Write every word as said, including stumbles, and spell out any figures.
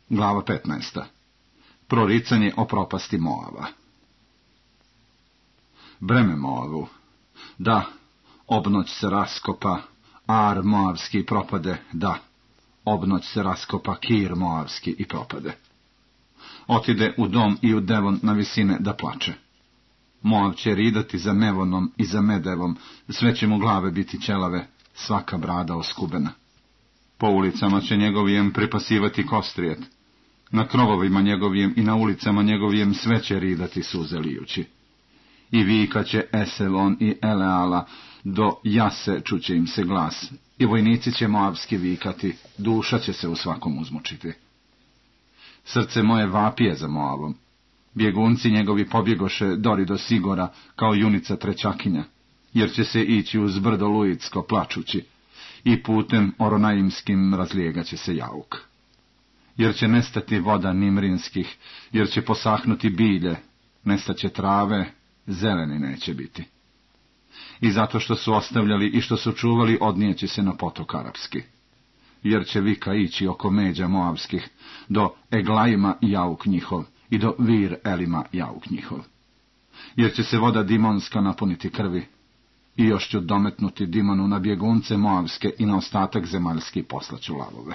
Glava petnaesta. Proricanje o propasti Moava. Breme Moavu. Da, obnoć se raskopa, Ar Moavski i propade, da, obnoć se raskopa, Kir Moavski i propade. Otide u dom i u Devon na visine da plače. Moav će ridati za Mevonom i za Medevom, sve će mu glave biti ćelave, svaka brada oskubena. Po ulicama će njegovijem pripasivati kostrijet, na krovovima njegovijem i na ulicama njegovijem sve će ridati suze lijući. I vikaće Eselon i Eleala, do Jase čuće im se glas, i vojnici će moavski vikati, duša će se u svakom uzmučiti. Srce moje vapije za Moavom, bjegunci njegovi pobjegoše dori do Sigora, kao junica trečakinja, jer će se ići uz brdo Luitsko plačući, i putem Oronaimskim razlijegaće se jauk. Jer će nestati voda Nimrinskih, jer će posahnuti bilje, nestaće trave, zeleni neće biti. I zato što su ostavljali i što su čuvali, odnijeće se na potok Arapski. Jer će vika ići oko međa Moavskih, do Eglajima jauk njihov, i do Vir Elima jauk njihov. Jer će se voda Dimonska napuniti krvi, i još ću dometnuti Dimonu na bjegunce Moavske i na ostatak zemaljski poslaću lavove.